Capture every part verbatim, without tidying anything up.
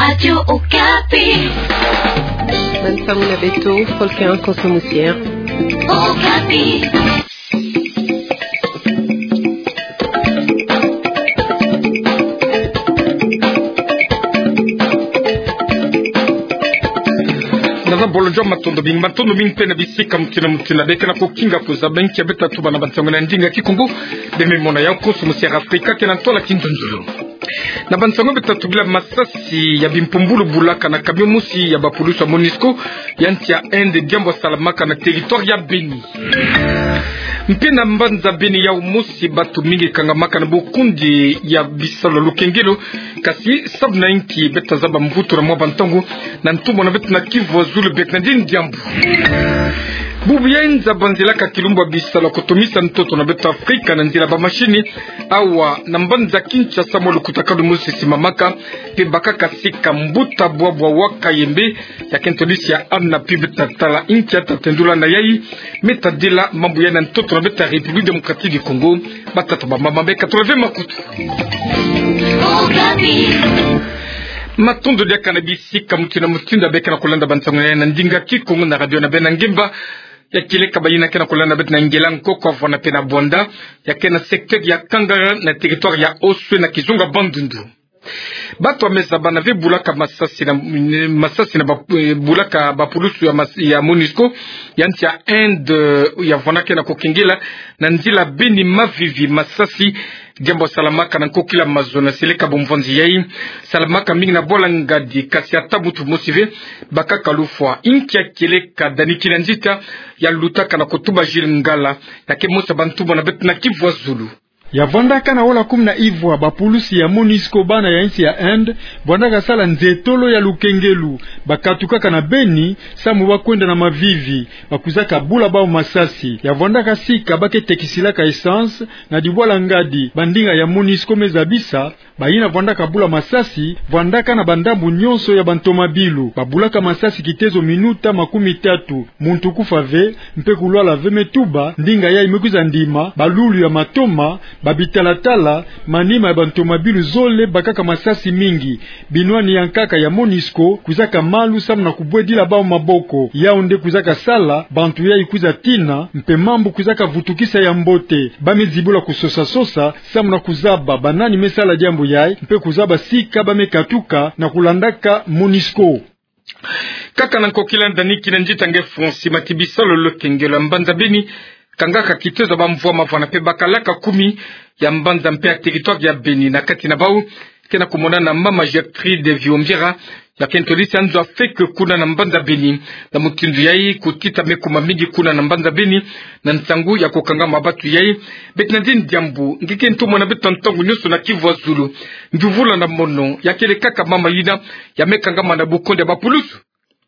Radio Okapi. Bansango na beto, Volcan Konso Musier. Okapi. Naza bolonjo, matondo mingi, matondo mingi mpe na bisika mutindu na mutindu beka na kokinga kuzaba nki ya beta tuba na bansango na ndinga Kikongo. Beno me mona yau Konso Musier Afrika kena ntwala kinzonzolo. Na bansango beta tubila, masasi ya bimpumbulu bulaka na camion mosi ya bapulusu ya Monusco ya nsi ya Inde, diambu salamaka na territoire ya Beni. Mpe na mbanza Beni yau mosi, batu mingi kangamaka na bokundi ya bisalu ya lukengelo, kasi samu na inki? Beta zaba mvutu na mwa bantangu na ntumwa na beto na Kivu ya Zulu, beka na dini diambu. Bubu ya nza banzila ka kilumbu ya bisalu ya kotomisa ntoto na beto Afrika na nzila bamashini, awa na mbanza Kinshasa mwa lukutakanu mosi simamaka, mpe bakaka sika mbuta bwabwa wa Kayembe, ya kento lisi ya Anna Pib Tatala, inki ya tatendula na yai, me tadila mambu ya na ntoto na beto République Démocratique du Congo, batata bamama beka toleve makutu. Matondo diaka na bisika mutindu na mutindu beka na kulanda bansango ya na ndinga Kikongo na radio na beno na ngemba ya kieleka, bayina ke na kulanda beto na Ngela, Nkoko, Avwanda mpe na Bwanda, ya ke na secteur ya Kangala na territoire ya Oswe na kizunga Bandundu. Batu ya meza bana ve bulaka masasi na, masasi na ba, eh, bulaka bapulusu ya mas-, ya Monusco ya nsi ya Inde, eh, ya vwandaka na kokengela na nzila Beni Mavivi, masasi diambu salamaka na nkokila mazo na seleka bomvwanzi yai. Salamaka mingi na bwala ngadi, kasi ata mutu mosi ve bakaka lufwa. Inki ya kieleka? Dani Kinanzita ya lutaka na kotuba Jules Ngala, ya ke mosi ya bantumwa na beto na Kivu ya Zulu. Ya vwandaka na wala kumi na ivwa bapulusu ya Monusco, bana ya nsi ya Inde, vwandaka sala nzetolo ya lukengelo. Bakatukaka na Beni samu ba kwenda na Mavivi, bakwizaka bula bau masasi. Ya vwandaka sika ba ke tekisilaka essence na dibwala ngadi bandinga ya Monusco me zabisa. Bayina vwandaka bula masasi vwandaka na bandambu nyonso ya bantomabilu. Babulaka masasi kitezo minuta makumi tatu. Muntu kufa ve, mpe kulwala ve, me tuba ndinga yai me kwiza ndima, balulu ya matoma, babitalatala, manima ya bantomabilu zole bakaka masasi mingi. Binwani ya nkaka ya Monusco kwizaka malu samu na kubwedila bau maboko. Yau nde kwizaka sala bantu yai kwiza tina, mpe mambu kwizaka vutukisa ya mbote. Ba me zibula kusosa-sosa samu na kuzaba banani me sala diambu yai, mpe kuzaba sika ba me katuka na kulandaka Monusco. Kaka na nkokila, Dani Kinanzita nge fonsi mati bisalu ya lukengelo ya mbanza Beni, kangaka kitezo bamvwama vwana mpe bakalaka kumi ya mbanza mpe ya territoire ya Beni. Na kati na bau ke na kumonana mama Gertrude Vihumbira, ya kento lisi ya nzo ya feke kuna na mbanza Beni. Na mutindu yai, kutita me kuma mingi kuna na mbanza Beni na nsangu ya kukangama batu yai. Beka na dini diambu, nge ke ntumwa na beto ntangu nyonso na Kivu ya Zulu. Nduvula na mono, ya kieleka kaka mama yina ya me kangama na bokondi ya bapulusu.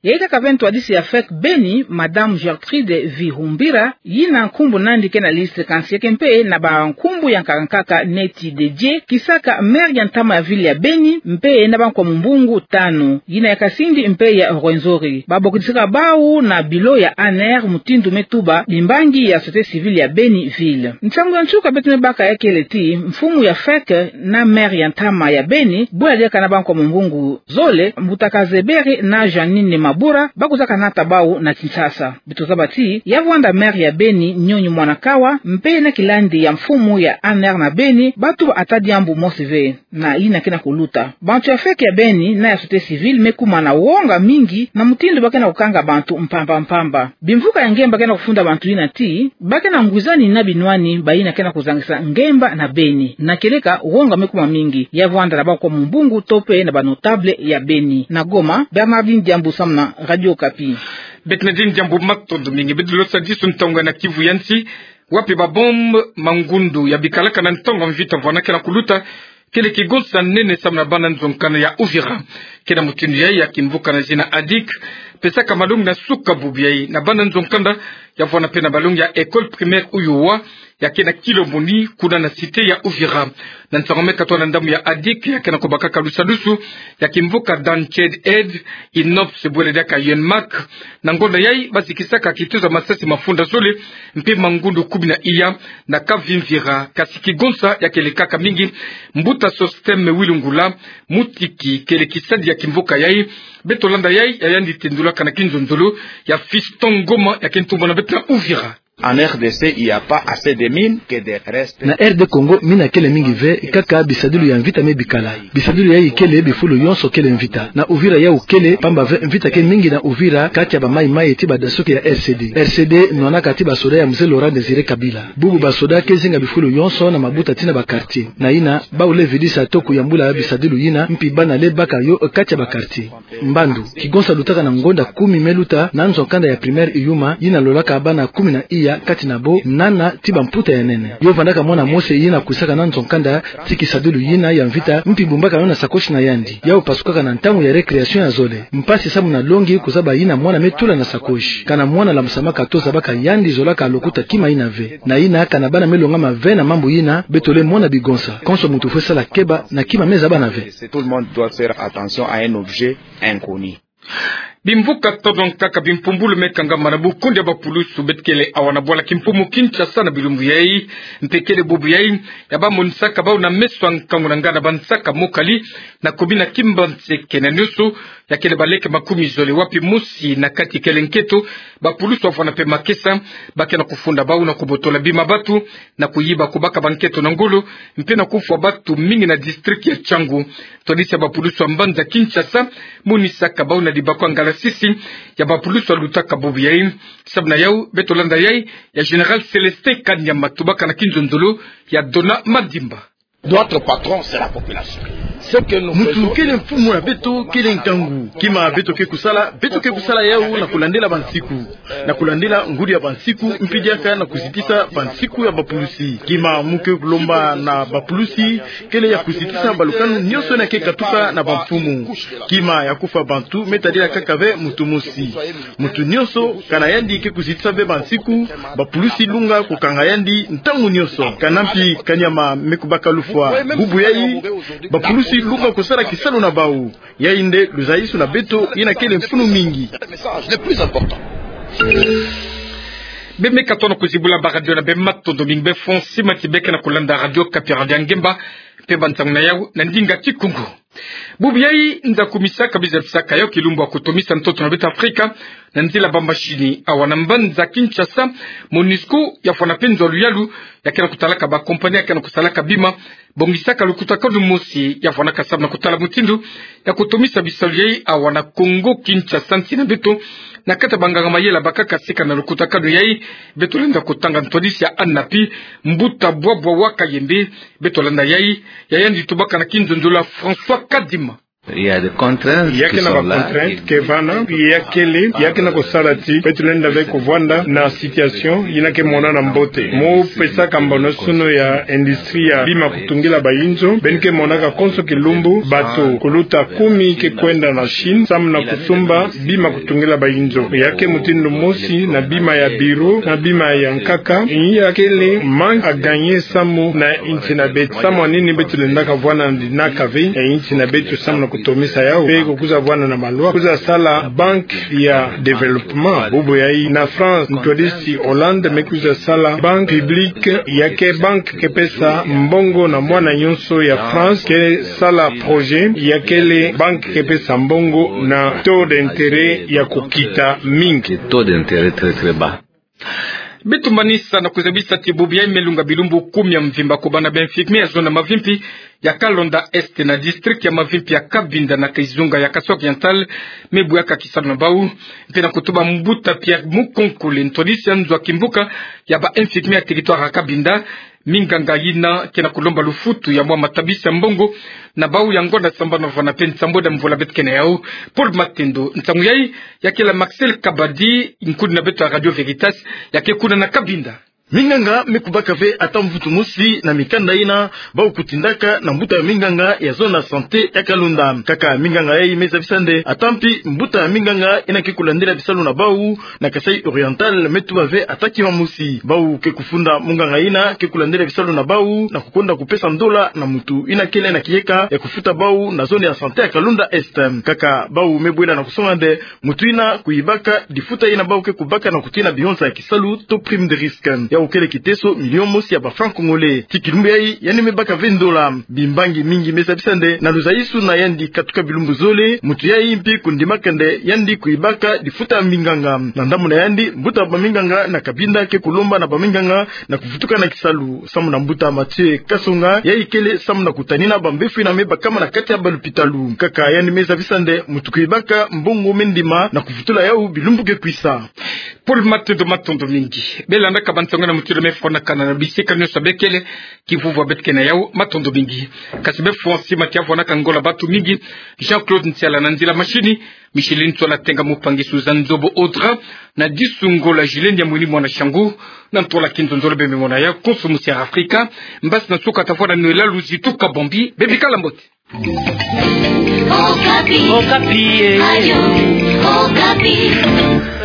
Yai kaka ve ntwadisi ya feke Beni, Madame Gertrude Vihumbira, yina nkumbu na yandi ke na liste, kansi ya ke mpe na bankumbu ya nkaka-nkaka neti D J, kisaka maire ya ntama ya ville ya Beni, mpe na bankwa mumbungu tanu, yina ya Kasindi mpe ya Rwenzori. Babokidisaka bau na bilo ya A N R mutindu me tuba bimbangi ya société civile ya Beni ville. Nsangu ya nsuka beto me baka ya kele ti mfumu ya feke na maire ya ntama ya Beni, bula diaka na bankwa mumbungu zole, mbuta Kazebere na Jeanine Mabura, ba kwizaka nata bau na Kinshasa. Beto zaba ti ya vwanda maire ya Beni, Nyonyi Mwanakawa, mpe na kilandi ya mfumu ya A N R na Beni, ba tuba ata diambu mosi ve na yina ke na kuluta. Bantu ya feke ya Beni na ya société civile me kuma na wonga mingi na mutindu ba ke na kukanga bantu mpamba-mpamba. Bimvuka ya ngemba ke na kufunda bantu yina ti ba ke na ngwizani na binwani bayina ke na kuzangisa ngemba na Beni. Na kieleka, wonga me kuma mingi. Ya vwanda na bankwa mumbungu to mpe na banotable ya Beni. Na Goma, Bernardine Diambu samu na Radio Okapi. Beka na dini diambu, matondo mingi. Beto losadisu ntangu na Kivu ya nsi, wapi babombe mangundu ya bikalaka na ntangu ya mvita vwana ke na kuluta, kele kigonsa nene samu na bana nzo-nkanda ya Uvira. Ke na mutindu yai, ya kimvuka na zina ADIC pesaka malongi na suka bubu yai na bana nzo-nkanda ya vwanda mpe na balongi ya école primaire Uyowa, ya ke na Kilomoni, kuna na cité ya Uvira. Na nsangu me katoa na ndambu ya ADIC, ya ke na kubakaka lusadusu ya kimvuka Dance Aid, INOPS bwele diaka UNMAC. Na ngonda yayi, bazikisaka kituza masasi mafunda zole, mpe mangundu kumi na iya na Kavimvira, kasi kigonsa ya kele kaka mingi. Mbuta Sostème Wilungula, mutiki kele kisadi ya kimvuka yayi, beto landa yayi, ya yandi tendulaka na kinzonzolo ya Fiston Ngoma, ya ke ntumba na beto na Uvira. En R D C, il y a pas assez de mines que de restes. Na R D Congo, mina kele mingi ve, kaka bisadilu ya mvita me bikala. Bisadilu yayi kele bifulu yonso kele mvita. Na Uvira yawu kele, pamba ve mvita ke mingi na Uvira, kati ya ba mayi-mayi ti badasoke ya R C D. R C D nwanaka ti basoda ya Mzee Laurent Désiré Kabila. Bubu basoda ke zinga bifulu yonso na mabuta ti na ba quartier. Na yina, bawu le vidisa toko yambula bisadilu yina, mpi bana le baka yo kati ya ba quartier. Mbandu, kigonsa lutaka na ngonda kumi me luta na nzo-nkanda ya primaire Iyuma, yina lolaka bana kumi na iya, kati na bo nana ti bamputa ya nene. Yo vandaka mwana mose yina kwisaka na nzo-nkanda ti kisadilu yina ya mvita, mpi bumbaka yo na sakoshi na yandi. Yawu pasukaka na ntangu ya récréation ya zole. Mpasi samu na longi kuzaba yina mwana me tula na sakoshi. Kana mwana lambusamaka to zabaka yandi zolaka lokuta kima yina ve. Na yina kana bana me longama ve na mambu yina, beto le mona bigonsa. Konso muntu fwe sala keba na kima me zabana ve. Tout le monde doit faire attention à un objet inconnu. Bimvuka tondon kaka bimpumbulu me kangama na bukundi ya bapulusu beto kele awa na bwala kimpumu Kinshasa na bilumbu yayi, mpe kele bubu yayi ya bamonisaka bawu na meso ya nkangu na ngana bansaka mokali na commune ya Kimbanseke na nioso, ya kele baleke makumi zole, wapi mosi na kati kele nketo, bapulusu wavwanda mpe makesa, ba ke na kufunda bawu na kubotola bima batu, na kuyiba, kubaka banketo na ngolo, mpe na kufwa batu mingi na district ya Tshangu. Ntwadisi ya bapulusu ya mbanza Kinshasa monisaka bawu na libaku ya ngalasisi ya bapulusu walutaka bubu yayi. Samu na yawu, beto landa yayi ya Général Célestin Kanyama, tubaka na kinzonzolo ya Dona Madimba. Notre patron, c'est la population. Ce que nous faisons, mutu kele mfumu ya beto kele nkangu. Kima beto ke kusala, beto ke kusala yawu na kulandila bansiku, na kulandila ngudi ya bansiku, mpi diaka na kuzitisa bansiku ya bapulusi. Kima mu ke kulomba na bapulusi kele ya kuzitisa balukanu nionso yina ke katuka na bamfumu. Kima ya kufwa bantu me tadila kaka ve mutu mosi. Mutu nionso, kana yandi ke kuzitisa ve bansiku, bapulusi lunga kukanga yandi ntangu nionso. Kana mpi Kanyama me kubaka lufwa bubu yayi, bapulusi lunga kusala kisalu na bawu. Yayi nde luzayisu na beto yina kele mfunu mingi. Beno me katono kuzibula ba radio na beno, matondo mingi. Beno fwa nsi mati beno ke na kulanda Radio Okapi, radio ya ngemba, mpe bansangu na yawu na ndinga Kikongo. Bubu yayi, nza kumisaka biza bisaka yawu kilumbu ya kutomisa ntoto na beto Afrika na nzila ba machine. Awa na mbanza Kinshasa, MONUSCO ya vwanda mpe nzo ya luyalu, ya ke na kutalaka ba compagnie ya ke na kusalaka bima, bongisaka lukutakanu mosi ya vwandaka samu na kutala mutindu ya kutomisa bisalu yayi awa na Kongo Kinshasa, nsi na beto, na kati ya banganga mayela bakaka sika na lukutakanu yayi. Beto lenda kutanga ntwadisi ya ANAPI, mbuta Bwabwa wa Kayembe. Beto landa yayi, ya yandi tubaka na kinzonzolo ya François Kadima. Il y a des contraintes. Ya ke na ba contraintes ke vana, ya kele, ya ke na kusala ti beto lenda ve kuvwanda na situation yina ke monana mbote. Mu pesaka mbano-sono ya industrie ya bima kutungila bayinzo, beno ke monaka konso kilumbu bato kuluta kumi ke kwenda na Chine samu na kusumba bima kutungila bayinzo. Ya ke mutindu mosi na bima ya bureau, na bima ya nkaka. Ya kele manque à gagner samu na insi na beto. Samu na nini beto lendaka vwanda na dinaka ve ya insi na beto samu na kutomisa yawu? Mpe kukwiza vwanda na malwa, kwiza sala banque ya développement. Bubu yayi na France, ntwadisi Hollande me kwiza sala banque publique, ya ke banque ke pesa mbongo na mwana nionso ya France ke sala projet, ya kele banque ke pesa mbongo na taux d'intérêt ya kukita mingi. Taux d'intérêt très, très bas. Beto manisa na kuzabisa ti bubu yayi me lunga bilumbu kumi ya mvimba kubana ba infirmiers ya zone ya Mavimpi ya Kalonda Est na district ya Mavimpi ya Cabinda na kizunga ya Kasai Oriental, me buyaka kisalu na bawu, mpe na kutuba mbuta Pierre Mukonkole, ntwadisi ya nzo ya kimvuka ya ba infirmiers ya territoire ya Cabinda, minganga yina ke na kulomba lufutu ya mwa matabisi ya mbongo na bawu ya ngonda sambanu vwanda mpe nsambwadi ya mvula beto ke na yawu. Paul Matendo, nsangu yayi ya kele ya Marcel Kabadi, nkudi na beto ya Radio Veritas, ya ke kuna na Cabinda. Minganga me kubaka ve ata mvutu mosi na mikanda ina bau kutindaka na mbuta ya minganga ya zone ya santé ya Kalonda. Kaka minganga yayi me zabisa nde ata mpi mbuta ya minganga ina ke kulandila bisalu na bau na Kasaï Oriental me tuba ve ata kima mosi. Bau ke kufunda munganga ina ke kulandila bisalu na bau na kukonda kupesa ndola na mutu ina kele na kiyeka ya kufuta bau na zone ya santé ya Kalonda Est. Kaka bau me bwela na kusonga nde mutu ina kuyibaka difuta ina bau ke kubaka na kutina bihonza ya kisalu to prime de risque. Yawu kele kiteso million mosi ya ba francs congolais. Ti kilumbu yayi yandi me baka ve ndola. Bimbangi mingi me zabisa nde na luzaisu na yandi katuka bilumbu zole, mutu yayi mpi kundimaka nde yandi kuyibaka difuta ya minganga. Na ndambu na yandi, mbuta ya ba minganga na Kabinda ke kulomba na ba minganga na kuvutuka na kisalu. Samu na mbuta Mathieu Kasonga, yayi kele samu na kutanina ba mbefo ina me bakama na kati ya ba lupitalu. Kaka yandi me zabisa nde mutu kuyibaka mbongo me ndima na kuvutula yawu bilumbu ke kwisa. Paul Matondo, matondo mingi. Belandaka ba nsangu na mutu ina me fwanakana na bisika nyonso bekele, kivuvwa beto ke na yawu, matondo mingi. Kasi befwani tima ti ya fwanaka ngiona bantu mingi, Jean-Claude Nsiala na nzila mashini, Micheline Nsola Tenga, Mupangi Suzanne Nzobo Audra, na Disu Ngola Julien Nyamwini mwana Shangu, na Ntola Kinzonzolo, bembe mona yawu konso musi ya Afrika. Mbasi na nsuka ta fwana nwela luzitu kabombi, bebikala mbote. Okapi. Okapi, eh. Radio Okapi.